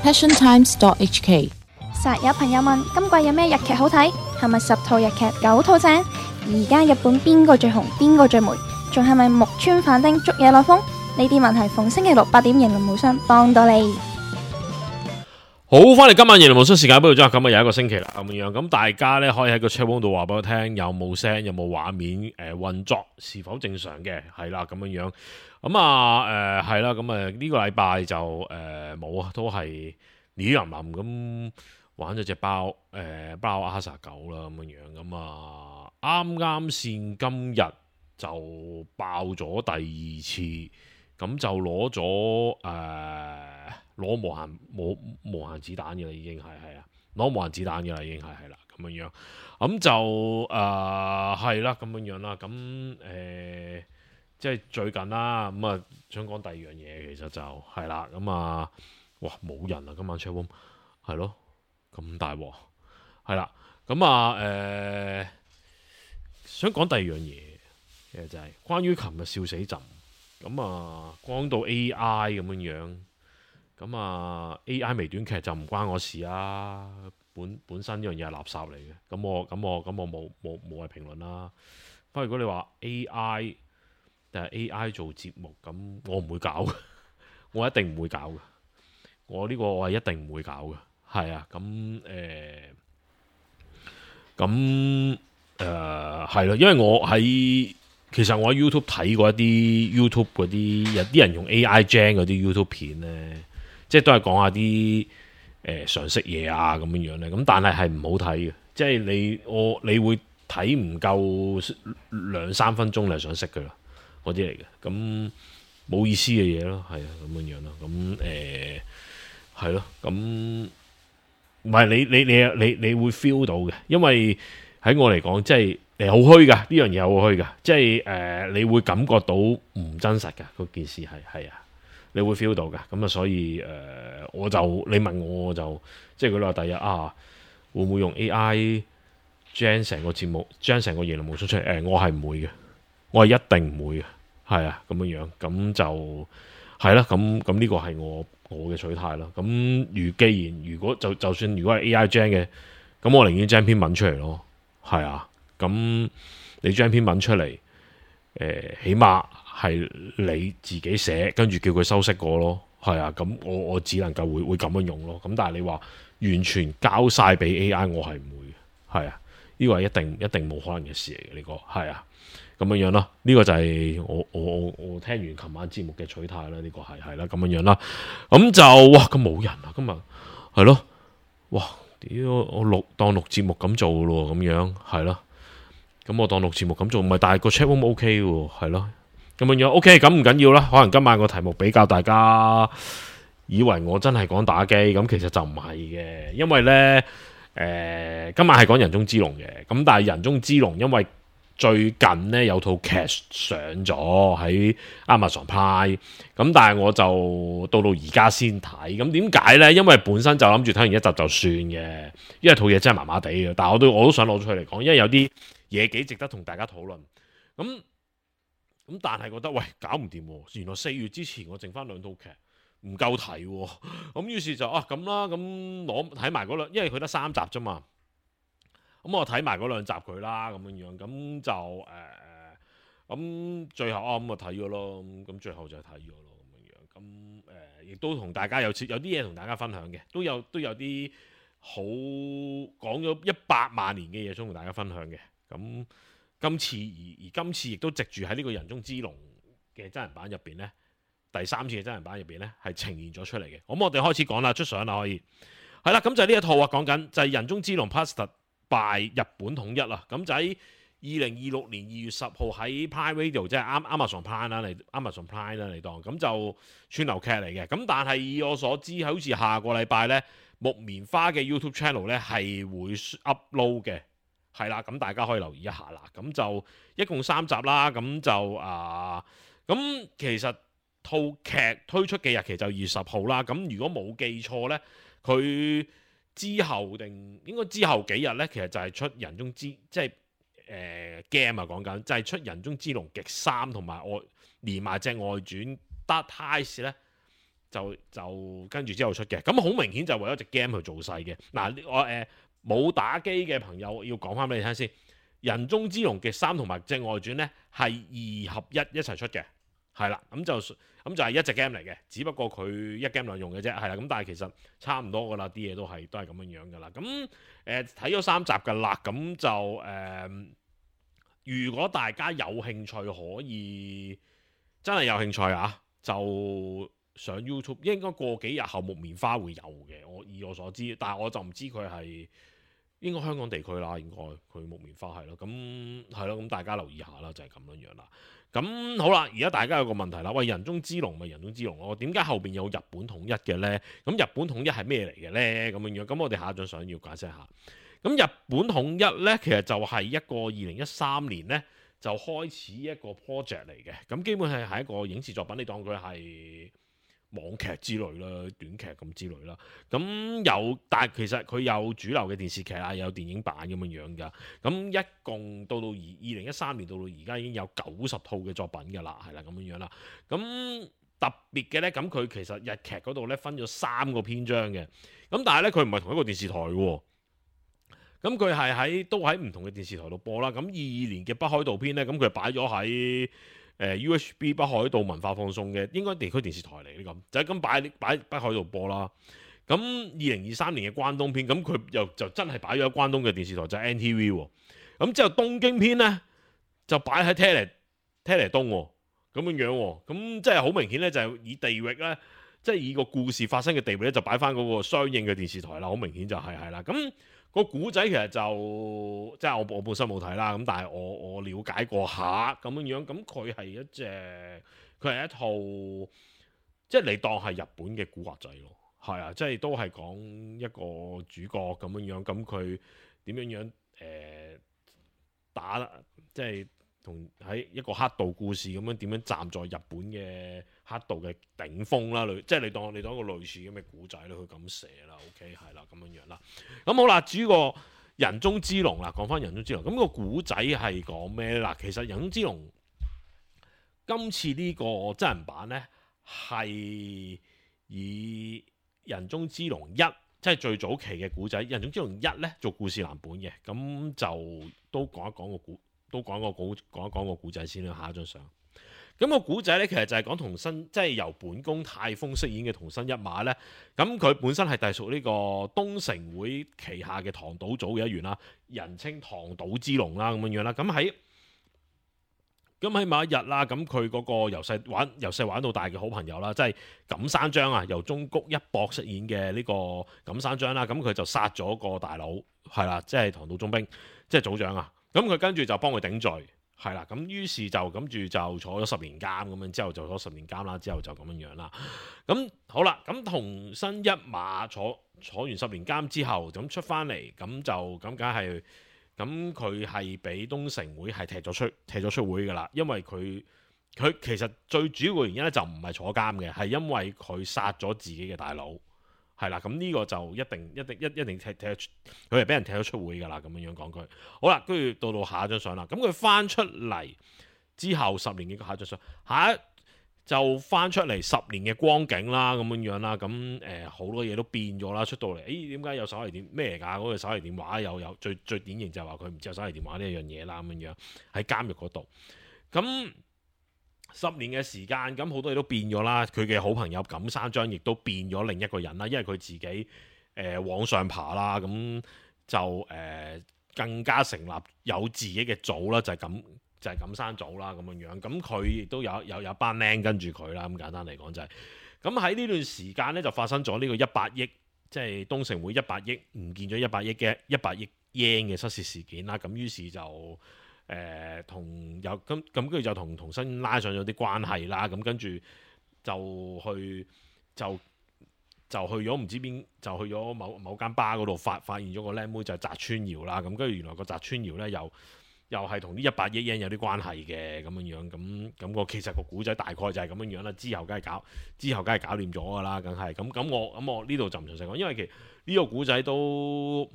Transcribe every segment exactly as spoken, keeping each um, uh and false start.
passion times dot h k。 實有朋友問今季有咩日劇好睇，係咪十套日劇九套正？而家日本邊個最紅，邊個最霉？仲係咪木村反町捉野內風？呢啲問題逢星期六八點，型論無雙幫到你。好，翻嚟今晚型論無雙時間，不如咗咁啊，又一個星期啦咁樣。咁大家咧可以喺個 chat room 度話俾我聽，有冇聲，有冇畫面，誒、呃、運作是否正常嘅？係啦咁樣樣。咁啊誒係啦，咁啊呢個禮拜就誒冇啊，都係李林林咁玩咗隻包誒、呃、包阿 sa 九啦咁樣樣。咁啊啱啱先今日就爆咗第二次。咁就攞咗誒攞無限無無限子彈嘅啦，已經係係啊，攞無限子彈嘅啦，已經係係啦咁樣樣。咁就誒係啦咁樣樣啦。咁誒、呃、即係最近啦。咁啊想講第二樣嘢，其實就係啦。咁啊哇冇人啊，今晚 chatroom 係咯，咁大鑊係啦。咁啊誒想講第二樣嘢，其實就係關於琴日笑死朕。咁啊，講到 A I 咁樣樣，咁啊 A I 微短劇就唔關我事啊。本本身呢樣嘢係垃圾嚟嘅，咁我咁我咁我冇冇冇係評論啦。不過如果你話 A I 定係 A I 做節目，咁我唔會搞嘅，我一定唔會搞嘅。我呢個我係一定唔會搞嘅，係啊。咁誒，咁誒係咯，因為我喺。其實我喺 YouTube 睇過一啲 YouTube 嗰啲有啲人用 A I gen 嗰啲 YouTube 片咧，即係都係講下啲誒常識嘢啊咁樣樣咧。咁但係係唔好睇嘅，即係你我你會睇唔夠兩三分鐘你係想識㗎啦，嗰啲嚟嘅。咁冇意思嘅嘢咯，係啊咁樣樣咯。咁誒係咯，咁唔係你你你你你會 feel 到嘅，因為喺我嚟講即係。誒，好虛噶，呢樣嘢好虛噶，即係誒、呃，你會感覺到唔真實噶，嗰件事係係啊，你會 feel 到噶，咁啊，所以誒、呃，我就你問我，我就即係佢話第日啊，會唔會用 A I 將成個節目，將成個言論模式出嚟？誒、呃，我係唔會嘅，我係一定唔會嘅，係啊，咁樣樣，咁就係啦，咁咁呢個係我我嘅取態啦。咁如既然如果就就算如果係 A I 將嘅，咁我寧願將篇文出嚟咯，係啊。咁你將篇文出嚟，誒、呃，起碼係你自己寫，跟住叫佢修飾過咯，係啊。咁我我只能夠會會咁樣用咯。咁但係你話完全交晒俾 A I，我係唔會嘅，係啊。呢個係一定一定冇可能嘅事嚟嘅，呢、這個係啊。咁樣樣啦，呢、這個就係我我我我聽完琴晚節目嘅取態啦。呢、這個係係啦，咁樣樣啦。咁就哇，咁冇人啊，今日係咯，哇，屌我錄當錄節目咁做咯，咁樣係咯。咁我當錄節目咁做，唔係，但係個 chat room O K 喎，係咯，咁樣樣 O K，咁唔緊要啦。可能今晚個題目比較大家以為我真係講打機，咁其實就唔係嘅，因為呢，誒、呃，今晚係講人中之龍嘅，咁但係人中之龍因為最近呢有套劇上咗喺 Amazon Prime，咁但係我就到到而家先睇，咁點解呢？因為本身就諗住睇完一集就算嘅，因為套嘢真係麻麻地嘅，但係我都我都想攞出去嚟講，因為有啲嘢幾值得同大家討論，咁咁但係覺得喂搞唔掂，原來四月之前我剩翻兩套劇唔夠睇，咁於是就啊咁啦，咁攞睇埋嗰兩，因為佢得三集啫嘛，咁我睇埋嗰兩集佢啦，咁樣樣，咁就誒咁最後啊咁啊睇咗咯，咁最後就係睇咗咯，咁樣樣，咁誒亦都同大家有有啲嘢同大家分享嘅，都有都有啲好講咗一百萬年嘅嘢想同大家分享嘅。咁今次而而今次亦都藉住喺呢個人中之龍嘅真人版入邊呢，第三次嘅真人版入邊呢，係呈現咗出嚟嘅。咁我哋開始講啦，出相啦可以係啦。咁就係呢一套啊，講緊就係人中之龍 Past by 日本統一啦。咁就喺二零二六年二月十號喺 Prime Video 即係啱 Amazon Prime 啦嚟 Amazon Prime 啦嚟當，咁就串流劇嚟嘅。咁但係以我所知，好似下個禮拜呢，木棉花嘅 YouTube Channel 呢係會 upload 嘅。係啦，咁大家可以留意一下啦。咁就一共三集啦。咁就啊，咁其實套劇推出嘅日期就二月十號啦。咁如果冇記錯呢，佢之後定應該之後幾日呢，其實就係出人中之即係誒 game 啊，講緊就係出人中之龍極三同埋外連埋隻外傳 Dark Ties 呢，就就跟住之後出嘅。咁好明顯就為咗隻 game 去做勢嘅。嗱，我誒冇、呃、打機嘅朋友要講翻俾你聽先，人中之龍嘅三同埋隻外傳呢係二合一一齊出嘅。係啦，咁就咁就係一隻 game 嚟嘅，只不過佢一 game 兩用嘅啫，係啦，咁但係其實差唔多噶啦，啲嘢都係都係咁樣樣噶啦。咁誒睇咗三集噶啦，咁就誒、呃，如果大家有興趣可以真係有興趣啊，就上 YouTube， 應該過幾日後木棉花會有嘅，我以我所知，但係我就唔知佢係。應該香港地區啦，應該佢木棉花係咯，咁係咯，咁大家留意下啦，就係咁樣樣啦。咁好啦，而家大家有個問題啦，喂，人中之龍咪人中之龍咯，點解後邊有日本統一嘅呢？咁日本統一係咩嚟嘅呢？咁樣樣，咁我哋下一張相要解釋下。咁日本統一呢，其實就係一個二零一三年呢，就開始一個 project 嚟嘅，咁基本係係一個影視作品，你當佢係網劇之類啦，短劇咁之類啦，咁有，但係其實佢有主流嘅電視劇啊，有電影版咁樣樣噶，咁一共到到二二零一三年到到而家已經有九十套嘅作品噶啦，係啦咁樣樣啦，咁特別嘅呢，咁佢其實日劇嗰度呢，分咗三個篇章嘅，咁但係呢，佢唔係同一個電視台喎。咁佢係喺都喺唔同嘅電視台度播啦，咁二二年嘅北海道篇呢，咁佢擺咗喺誒 U H B 北海道文化放送嘅，應該地區電視台嚟呢咁，就係咁擺擺北海道播啦。咁二零二三年嘅關東篇，咁佢又就真係擺咗喺關東嘅電視台，就係 N T V 喎。咁之後東京篇呢，就擺喺 Tele Tele 東喎，咁樣樣喎。咁即係好明顯呢，就係以地域呢，即係以個故事發生嘅地域呢，就擺翻嗰個相應嘅電視台啦。好明顯就係係啦。咁個古仔其實就即係我我本身冇睇啦，咁但係我我了解過下咁樣樣，咁佢係一隻佢係一套即係你當係日本嘅古惑仔咯，係啊，即係都係講一個主角咁樣樣，咁佢點樣樣誒、呃、打即係同喺一個黑道故事咁樣點樣站在日本嘅黑道嘅頂峰啦，即係你當你當一個類似咁嘅古仔咧，佢咁寫啦 ，OK 係啦咁樣樣啦。咁好啦，至於個人中之龍啦，講翻人中之龍，咁、個古仔係講咩咧？嗱，其實人中之龍今次呢個真人版咧係以人中之龍一，即係最早期嘅古仔，人中之龍一咧做故事藍本嘅，咁就都講一講個古。都講個古講一講個古仔先啦，下一張相。咁、個古仔咧，其實就係講童新，即係由本宮泰豐飾演嘅童新一馬咧。咁佢本身係隸屬呢個東城會旗下嘅唐島組嘅一員啦，人稱唐島之龍啦，咁樣樣啦。咁喺咁喺某一日啦，咁佢嗰個由細玩由細玩到大嘅好朋友啦，即係錦山章啊，由中谷一博飾演嘅呢個錦山章啦。咁佢就殺咗個大佬，係啦，即係唐島中兵，即係組長啊。咁佢跟住就幫佢頂罪，係啦，咁於是就咁住就坐咗十年監咁樣，之後就坐十年監啦，之後就咁樣樣啦。咁好啦，咁童新一馬坐坐完十年監之後，咁出翻嚟，咁就咁梗係，咁佢係俾東城會係踢咗出踢咗出會噶啦，因為佢佢其實最主要嘅原因咧就唔係坐監嘅，係因為佢殺咗自己嘅大佬。係啦，咁呢個就一定一定一一定踢踢佢係俾人踢咗出會噶啦，咁樣樣講句。好啦，跟住到到下一張相啦。咁佢翻出嚟之後十年嘅下一張相，下一就翻出嚟十年嘅光景啦，咁樣樣啦。咁誒好多嘢都變咗啦，出到嚟，誒點解有手提電咩嚟㗎？嗰、嗰個手提電話又有最最典型就係話佢唔知有手提電話呢一樣嘢啦，咁樣樣喺監獄嗰度。咁十年嘅時間，咁好多嘢都變咗啦。佢嘅好朋友錦山章亦都變咗另一個人啦，因為佢自己誒、呃、往上爬啦，咁就誒、呃、更加成立有自己嘅組啦，就係、是、咁就係、是、錦山組啦，咁樣樣。咁佢亦都有有有一班僆跟住佢啦，咁簡單嚟講就係、是。咁喺呢段時間咧，就發生咗呢個一百億，即係東城會一百億唔見咗一百億嘅一百億 yen 嘅失竊事件啦。咁於是就誒同有咁咁跟住就同童新拉上咗啲關係啦，咁跟住就去就就去咗唔知邊，就去咗某某間巴嗰度發發現咗個靚妹就係澤川遙啦，咁跟住原來個澤川遙咧又又係同呢一百億 yen 有啲關係嘅咁樣樣，咁咁個其實個古仔大概就係咁樣樣啦，之後梗係搞之後梗係搞掂咗噶啦，梗係咁咁我咁我呢度就唔詳細講，因為其實呢個古仔都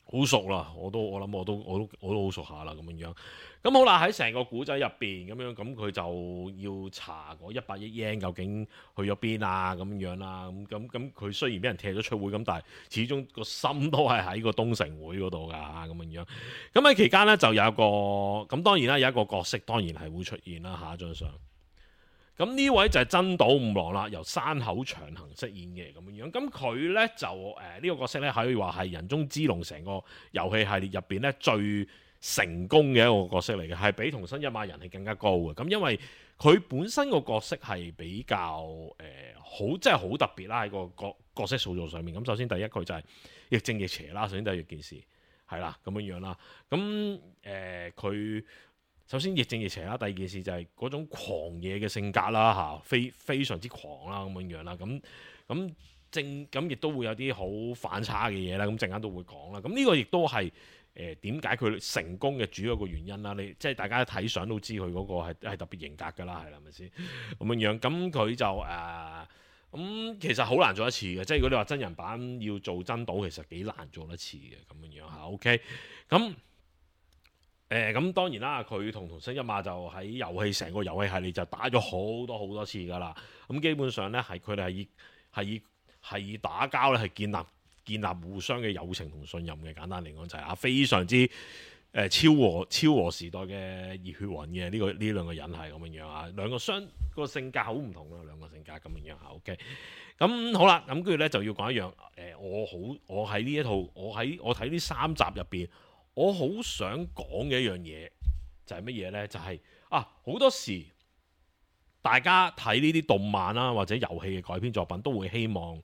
好熟啦，我都我諗我都我都我都好熟下啦咁樣樣。咁好啦，喺成個古仔入邊咁樣，咁佢就要查嗰一百億 yen 究竟去咗邊啊咁樣啦。咁咁咁佢雖然俾人踢咗出會，咁但係始終個心都係喺個東城會嗰度㗎咁樣樣。咁喺期間呢，就有一個咁當然啦，有一個角色當然係會出現啦。下一張相。咁呢位就係真島五郎啦，由山口祥行飾演嘅咁樣樣。咁佢呢，就誒呢、呃這個角色呢，可以話係人中之龍成個遊戲系列入邊呢最成功嘅一個角色嚟嘅，係比桐生一馬人係更加高嘅。咁因為佢本身個角色係比較誒、呃、好，即係好特別啦喺個角角色塑造上面。咁首先第一佢就係亦正亦邪啦，首先第一件事係啦咁樣樣啦。咁誒佢。呃首先亦正亦邪啦，第二件事就係嗰種狂野嘅性格啦嚇，非非常之狂啦咁樣樣啦，咁咁正咁亦都會有啲好反差嘅嘢啦，咁陣間都會講啦。咁呢個亦都係誒點解佢成功嘅主要一個原因啦。你即係大家睇相都知佢嗰個係係特別型格㗎啦，係啦，係咪先咁樣樣？咁佢就誒咁、呃、其實好難做一次嘅，即係如果你話真人版要做真島，其實幾難做一次嘅咁樣樣嚇。OK，咁。誒咁、呃、當然啦，佢同桐生一馬就喺遊戲成個遊戲系列就打咗好多好多次㗎啦。咁基本上咧係佢哋係以係以係以打交咧係建立建立互相嘅友情同信任嘅。簡單嚟講就係啊非常之誒、呃、超和超和時代嘅熱血魂嘅呢個呢兩個人係咁樣樣啊。兩個相個性格好唔同咯，兩個性格咁樣樣啊。OK，咁好啦，咁跟住咧就要講一樣誒、呃，我好我喺呢一套我喺我睇呢三集入邊。我好想講嘅一樣嘢就係乜嘢呢？就係、是、啊，好多時大家睇呢啲動漫啦、啊，或者遊戲嘅改編作品，都會希望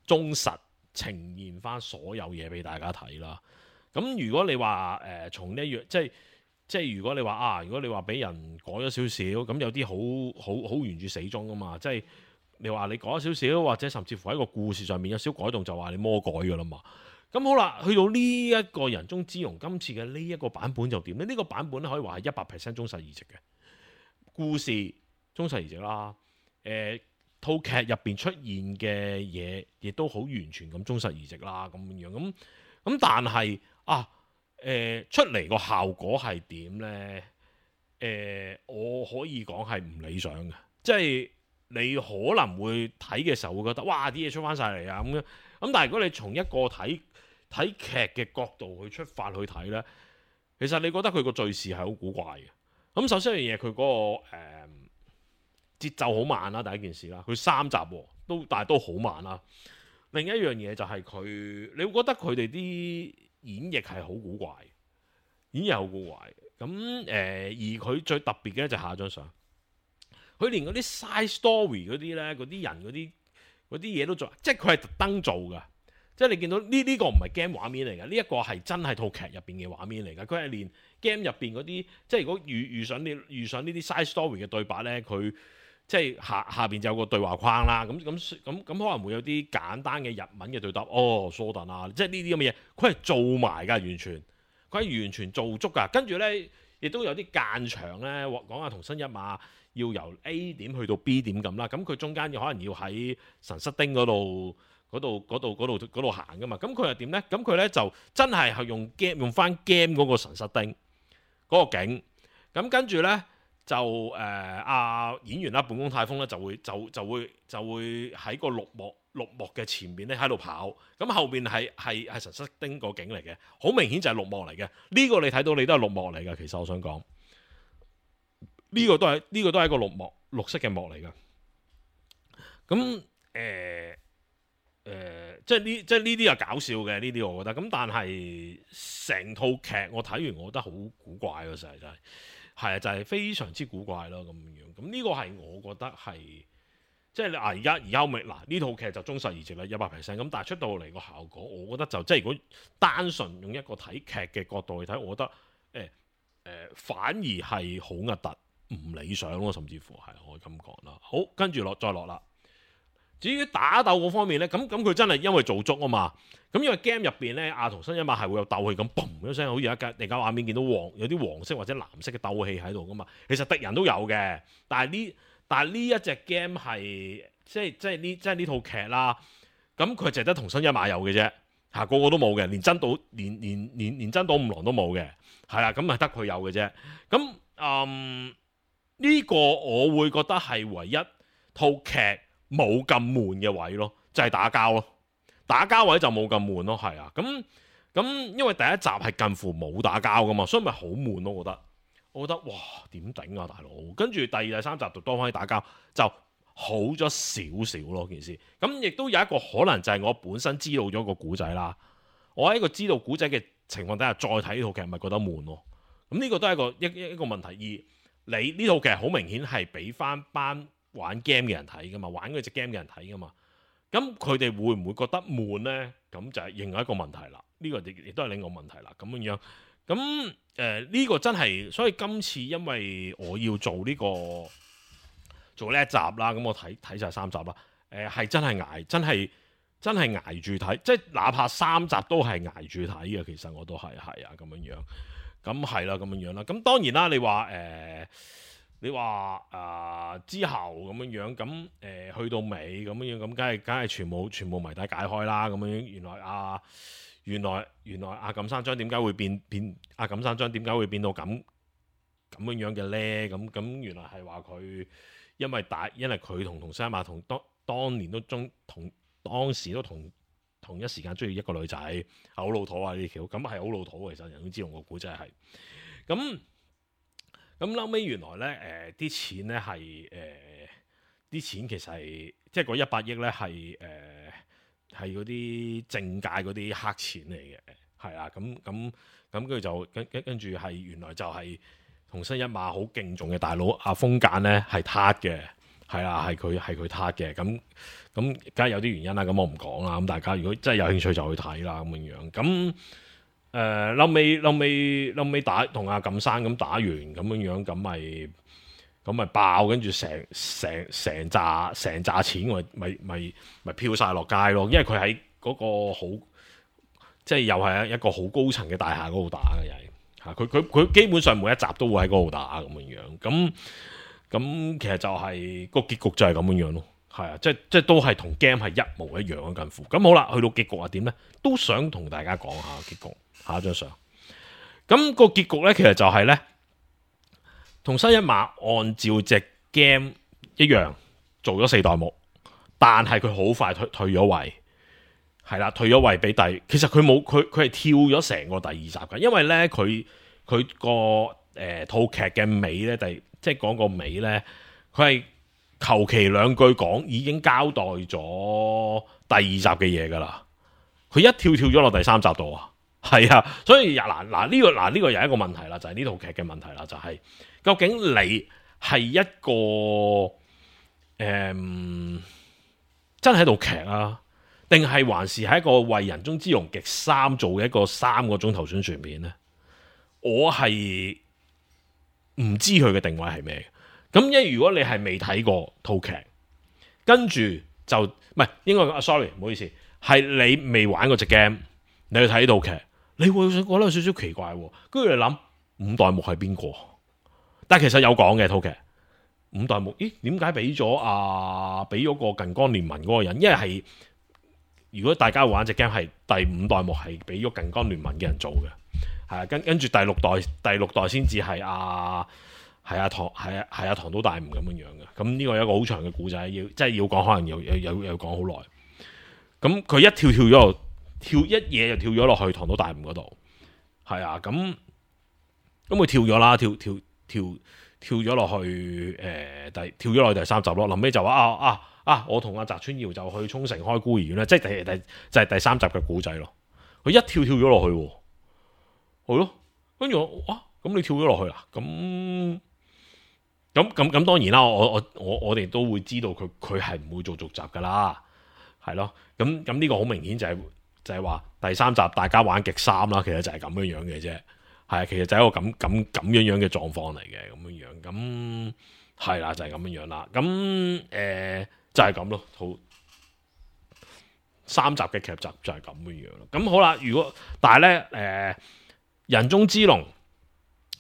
忠實呈現翻所有嘢俾大家睇啦。咁如果你話誒、呃、從呢一樣，即係即係如果你話啊，如果你話俾人改咗少少，咁有啲好好好原著死忠噶嘛，即係你話你改咗少少，或者甚至乎喺個故事上面有少改動，就話你魔改噶啦嘛。咁好啦，去到呢一個人中之龍今次嘅呢一個版本就點呢？呢、呢個版本咧可以話係一百 percent 忠實移植嘅故事，忠實移植啦。誒、呃，套劇入邊出現嘅嘢，亦都好完全咁忠實移植啦。咁樣咁咁，但係啊，誒、呃、出嚟個效果係點呢？誒、呃，我可以講係唔理想嘅，即係你可能會睇嘅時候會覺得，哇！啲嘢出翻晒嚟啊咁樣。咁但係如果你從一個睇睇劇嘅角度去出發去睇呢，其實你覺得佢個敘事係好古怪嘅。咁首先一樣嘢，佢嗰、嗰個誒、呃、節奏好慢啦，第一件事啦。佢三集都，但係都好慢啦。另一樣嘢就係佢，你會覺得佢哋啲演繹係好古怪，演繹好古怪。咁誒、呃，而佢最特別嘅就係下一張相，佢連嗰啲 side story 嗰啲呢，嗰啲人嗰啲嗰啲嘢都做，即係佢係特登做㗎。即係你見到呢呢、呢個唔係 game 畫面嚟嘅，呢、呢、一個係真係套劇入邊嘅畫面嚟嘅。佢係連 game 入邊嗰啲，即係如果遇遇上呢遇上呢啲 side story 嘅對白呢，佢即係下下邊就有個對話框啦。咁咁咁咁可能會有啲簡單嘅日文嘅對答。哦，蘇頓啊，即係呢啲咁嘅嘢，佢係做埋㗎，完全佢係完全做足㗎。跟住呢，亦都有啲間場呢，講下桐生一馬要由 A 點去到 B 點咁啦。咁佢中間可能要喺神室町嗰度。嗰度嗰度嗰度嗰度行噶嘛，咁佢又點呢？咁佢呢就真係係用 game 用翻 game 嗰個神室町嗰個景，咁跟住呢，就誒阿、呃、演員啦，本宮太豐呢就會就就會就會喺個綠幕綠幕嘅前面呢喺度跑，咁後邊係係係神室町個景嚟嘅，好明顯就係綠幕嚟嘅。呢、呢個你睇到你都係綠幕嚟嘅，其實我想講呢、呢個都係呢、呢個都係一個綠幕綠色嘅幕嚟嘅。咁誒。呃誒、呃，即係呢，即係呢啲又搞笑嘅呢啲，我覺得咁，但係成套劇我睇完，我覺得好古怪咯，實係真係，係啊，就係、是、非常之古怪咯咁樣。咁呢個係我覺得係，即係你啊，而家而家咪嗱呢套劇就忠實移植啦，一百 percent 咁，但係出到嚟個效果，我覺得就即係如果單純用一個睇劇嘅角度去睇，我覺得誒誒、呃呃，反而係好核突，唔理想咯，甚至乎係可以咁講啦。好，跟住落再落啦。至於打鬥嗰方面咧，咁咁佢真係因為做足啊嘛，咁因為 game 入邊咧，阿桐生一馬係會有鬥氣咁，嘣一聲，好似一架地架畫面見到黃有啲黃色或者藍色嘅鬥氣喺度噶嘛。其實敵人都有嘅，但係呢但係呢一隻 game 係即係即係呢即係呢套劇啦，咁佢淨係得桐生一馬有嘅啫。嚇，個個都冇嘅，連真島連連連連真島五郎都冇嘅，係啦，咁係得佢有嘅啫。咁嗯呢個我會覺得係唯一套劇冇咁悶嘅位咯，就係打交咯，打交位就冇咁悶咯，係啊，咁咁因為第一集係近乎冇打交噶嘛，所以咪好悶咯，我覺得，我覺得哇點頂啊大佬，跟住第二第三集就多翻啲打交就好咗少少咯件事，咁亦都有一個可能就係我本身知道咗個古仔啦，我喺個知道古仔嘅情況底下再睇呢套劇咪覺得悶咯，咁呢個都係一個一一個問題，而你呢套劇好明顯係俾翻班玩 game 嘅人睇噶嘛，玩嗰隻 game 嘅人睇噶嘛，咁佢哋會唔會覺得悶呢？咁就係另外一個問題啦。呢、這個亦亦都係另外一個問題啦。咁樣樣，咁誒呢個真係，所以今次因為我要做呢、這個做呢一集啦，咁我睇睇晒三集啦。誒、呃、係真係捱，真係真係捱住睇，即係哪怕三集都係捱住睇嘅。其實我都係係啊咁樣樣，咁係啦咁樣樣啦。咁當然啦，你話誒。呃你話啊、呃、之後咁樣樣，咁誒、呃、去到尾咁樣樣，咁梗係梗係全部全部謎底解開啦。咁樣樣原來啊原來原來阿錦山章點解會變變阿錦山章點解會變到咁咁樣樣嘅咧？咁咁原來係話佢因為大因為佢同同西馬同當當年都中同當時都同同一時間中意一個女仔，好老土啊呢條，咁係好老土。其實人都知道個古仔係咁。咁後尾原來咧，誒、呃、啲錢咧係誒啲錢其實係即係嗰一百億咧係誒係嗰啲政界嗰啲黑錢嚟嘅，係啊，咁咁咁跟住就跟跟跟住係原來就係同新一馬好敬重嘅大佬阿風間咧係撻嘅，係啊，係佢係佢撻嘅，咁咁梗係有啲原因啦，咁我唔講啦，咁大家如果真係有興趣就去睇啦，咁樣樣咁。誒後尾後尾後尾打同阿錦山咁打完咁樣樣，咁咪咁咪爆，跟住成成成紮成紮錢咪咪咪咪飄晒落街咯，因為佢喺嗰個好即係又係一個好高層嘅大廈嗰度打嘅又係嚇，佢佢佢基本上每一集都會喺嗰度打咁樣樣，咁咁其實就係、是、個結局就係咁樣樣咯，係啊，即即都係同 game 係一模一樣嘅近乎。咁好啦，去到結局係點咧？都想同大家講下結局。下一張相，咁、那個結局咧，其實就係咧，同新一馬按照隻 game 一樣做咗四代目，但係佢好快退退咗位，係啦，退咗位俾第，其實佢冇佢佢係跳咗成個第二集嘅，因為咧佢佢個誒套劇嘅尾咧，第即係講個尾咧，佢係求其兩句講已經交代咗第二集嘅嘢噶啦，佢一跳跳咗落第三集度啊！係啊，所以嗱嗱呢個嗱呢、這個又係一個問題啦，就係呢套劇嘅問題啦，就係、是、究竟你係一個誒、嗯、真係一套劇啊，定係還是係一個為人中之龍極三做嘅一個三個鐘頭宣傳片呢？我係唔知佢嘅定位係咩嘅。咁因為如果你係未睇過套劇，跟住就唔係應該講 sorry 唔好意思，係你未玩過隻 game，你去睇呢套劇。你會覺得有少少奇怪，跟住你諗五代目係邊個？但係其實有講嘅套劇五代目，咦？點解俾咗啊？俾咗個近江聯盟嗰個人？因為係如果大家玩隻 game 係第五代目係俾咗近江聯盟嘅人做嘅，係啊，跟跟住第六代第六代先至係阿係阿唐係啊係阿唐都大悟咁樣樣嘅。咁呢個有一個好長嘅故仔，要即係要講，可能有有有有講好耐。咁佢一跳跳咗。跳一嘢就跳咗落去唐島大悟嗰度，係啊，咁咁佢跳咗啦，跳跳跳跳咗落去，誒、呃，第跳咗落去第三集咯。臨尾就話啊啊啊，我同阿澤川耀就去沖繩開孤兒院咧，即係第第就係、是、第三集嘅古仔咯。佢一跳跳咗落去，係咯，跟住我哇，咁你跳咗落去啦，咁咁咁咁當然啦，我我我我哋都會知道佢佢係唔會做續集噶啦，係咯，咁咁呢個好明顯就係、是。就係話第三集大家玩極三啦，其實就係咁樣樣嘅啫，係啊，其實就係一個咁咁咁樣樣嘅狀況嚟嘅，咁樣樣，咁係啦，就係咁樣樣啦，咁誒、呃、就係咁咯，好三集嘅劇集就係咁樣樣咯，咁好啦，如果但係咧誒人中之龍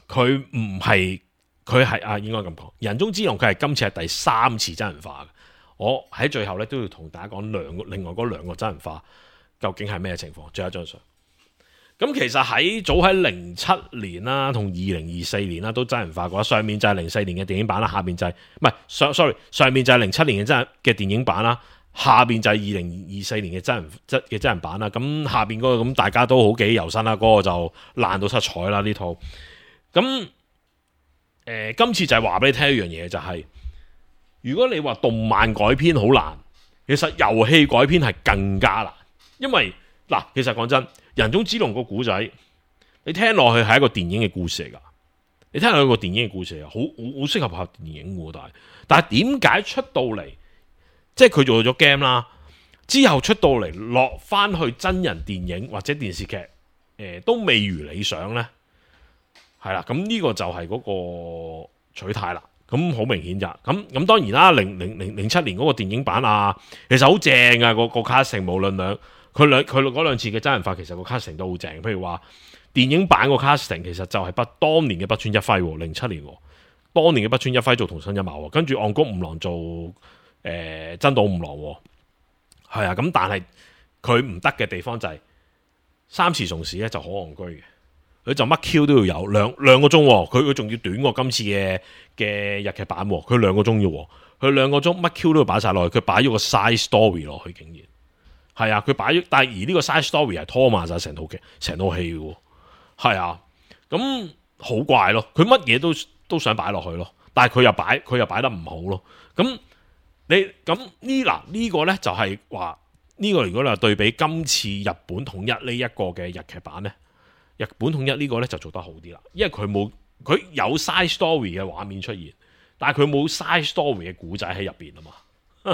佢唔係佢係啊應該咁講，人中之龍佢係今次係第三次真人化嘅，我喺最後咧都要同大家講兩個另外嗰兩個真人化。究竟係咩情況？最後一張相。咁其實喺早喺零七年啦，同二零二四年啦，都真人化過。上面就係零四年嘅電影版啦，下邊就係唔係上 sorry 上面就係零七年嘅真嘅電影版啦，下邊就係二零二四年嘅真人真嘅真人版啦。咁下邊嗰個咁大家都好記憶猶新啦，嗰、嗰個就爛到七彩啦呢套。咁誒、呃，今次就係話俾你聽一樣嘢，就係、是、如果你話動漫改編好難，其實遊戲改編係更加難，因為嗱，其實講真。人中之龍個古仔，你聽落去係一個電影嘅故事嚟噶，你聽落去個電影嘅故事嚟，好好好適合拍電影嘅，但係但係點解出到嚟，即係佢做咗 game 啦，之後出到嚟落翻去真人電影或者電視劇，誒、呃、都未如理想呢？係啦，咁呢個就係嗰個取態啦，咁好明顯咋，咁咁當然啦，零零零零七年嗰個電影版啊，其實好正啊，個個 casting 無論兩。佢兩佢嗰兩次嘅真人化，其實個 casting 都好正。譬如話電影版個 casting 其實就係不當年嘅北村一輝，零七年，當年嘅北村一輝做桐生一馬，跟住岸谷五郎做誒、呃、真島五郎，係啊。咁但係佢唔得嘅地方就係、是、三池崇史咧就好戇居嘅，佢就乜 Q 都要有兩兩個鐘，佢佢仲要短過今次嘅嘅日劇版，佢兩個鐘要，佢兩個鐘乜 Q 都要擺晒落去，佢擺咗個 side story 落去，竟然。係啊，佢擺咗，但係而呢個 side story 係拖慢晒成套劇、成套戲嘅，係啊，咁好怪咯。佢乜嘢都都想擺落去咯，但係佢又擺，佢又擺得唔好咯。咁你咁呢嗱呢個咧就係話呢個如果你話對比今次日本統一呢一個嘅日劇版咧，日本統一呢個咧就做得好啲啦，因為佢冇佢有 side story 嘅畫面出現，但係佢冇 side story 嘅古仔喺入邊啊嘛，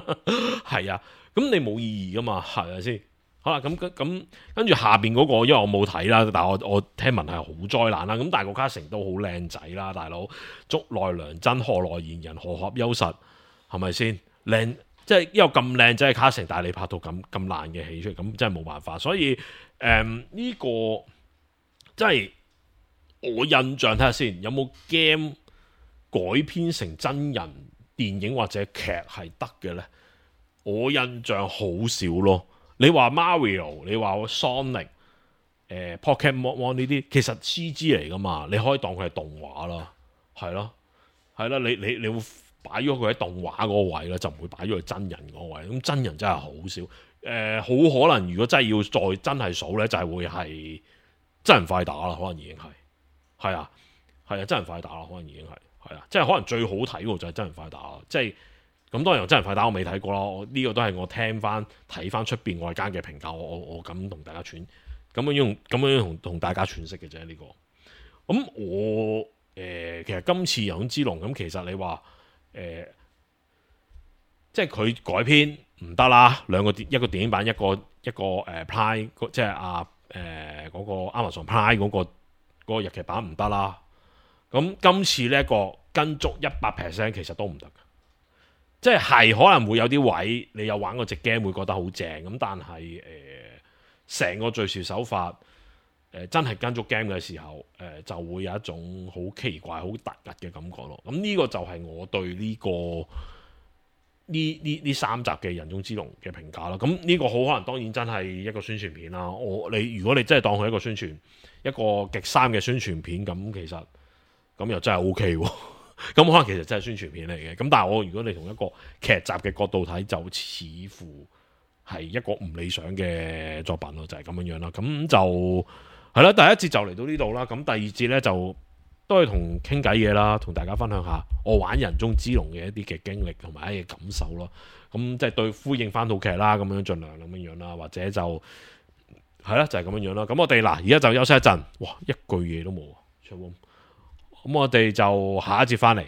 係啊。咁你冇意義噶嘛，係咪先？好啦，咁咁跟住下邊嗰、那個，因為我冇睇啦，但係我我聽聞係好災難啦。咁但係個 casting都好靚仔啦，大佬竹內良真、河內賢人、河合優實，係咪先？靚即係因為咁靚仔嘅 casting，但係你拍到咁咁爛嘅戲出嚟，咁真係冇辦法。所以誒呢、嗯這個即係我印象睇下先，有冇 game 改編成真人電影或者劇係得嘅咧？我印象好少咯。你話 Mario， 你話 Sonic， 誒、呃、Pokemon 呢啲，其實 C G 嚟噶嘛，你可以當佢係動畫啦，係咯，係啦，你你你會擺咗佢喺動畫嗰個位啦，就唔會擺咗佢真人嗰個位。咁真人真係好少，誒、呃、好可能如果真係要再真係數咧，就係、是、會係真人快打啦，可能已經係，係啊，係啊，真人快打啦，可能已經係，係啊，即係可能最好睇喎就係真人快打啦，即係。咁當然真人快打我未睇過咯，呢、這個都係我聽翻睇翻出邊外間嘅評價，我我我咁同大家傳，咁樣用咁樣同同大家詮釋嘅啫呢個。咁我誒、呃、其實今次人中之龍咁，其實你話誒、呃，即係佢改編唔得啦，兩個電一個電影版，一個一個誒、呃、Prime， 即係啊誒嗰個 Amazon Prime 嗰、那個嗰、那個日劇版唔得啦。咁今次呢一個跟足一百 percent 其實都唔得。即係可能會有啲位，你有玩過隻 game 會覺得好正咁，但係誒成個敘事手法誒、呃、真係跟足 game 嘅時候，誒、呃、就會有一種好奇怪、好突兀嘅感覺咯。咁呢個就係我對呢、這個呢呢呢三集嘅人中之龍嘅評價啦。咁呢個好可能當然真係一個宣傳片啦。我你如果你真係當佢一個宣傳一個極三嘅宣傳片，咁其實咁又真係 O K 喎。咁可能其實真係宣傳片嚟嘅，咁但係我如果你從一個劇集嘅角度睇，就似乎係一個唔理想嘅作品咯，就係、是、咁樣樣啦。咁就係啦，第一節就嚟到呢度啦。咁第二節呢，就都係同傾偈嘢啦，同大家分享下我玩人中之龍嘅一啲嘅經歷同埋一啲感受咯。咁即係對呼應翻套劇啦，咁樣盡量咁樣樣啦，或者就係啦，就係、是、咁樣樣啦。咁我哋嗱而家就休息一陣，哇，一句嘢都冇，咁我哋就下一節翻嚟